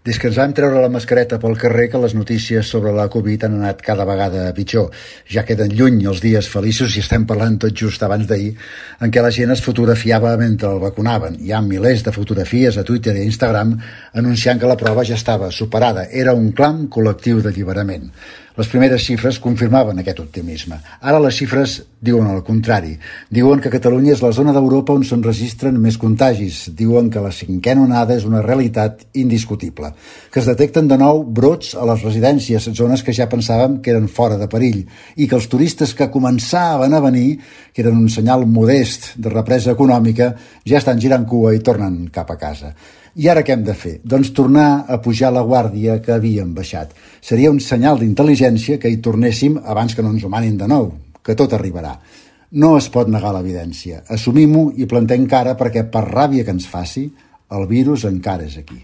Des que ens vam treure la mascareta pel carrer que les notícies sobre la Covid han anat cada vegada pitjor. Ja queden lluny els dies feliços i estem parlant tot just abans d'ahir en què la gent es fotografiava mentre el vacunaven. Hi ha milers de fotografies a Twitter i Instagram anunciant que la prova ja estava superada. Era un clam col·lectiu d'alliberament. Les primeres xifres confirmaven aquest optimisme. Ara les xifres diuen el contrari. Diuen que Catalunya és la zona d'Europa on s'enregistren més contagis. Diuen que la cinquena onada és una realitat indiscutible. Que es detecten de nou brots a les residències, zones que ja pensàvem que eren fora de perill, i que els turistes que començaven a venir, que eren un senyal modest de represa econòmica, ja estan girant cua i tornen cap a casa. I ara què hem de fer? Doncs tornar a pujar la guàrdia que havíem baixat. Seria un senyal d'intel·ligència que hi tornéssim abans que no ens ho manin de nou, que tot arribarà. No es pot negar l'evidència. Assumim-ho i plantem cara perquè, per ràbia que ens faci, el virus encara és aquí.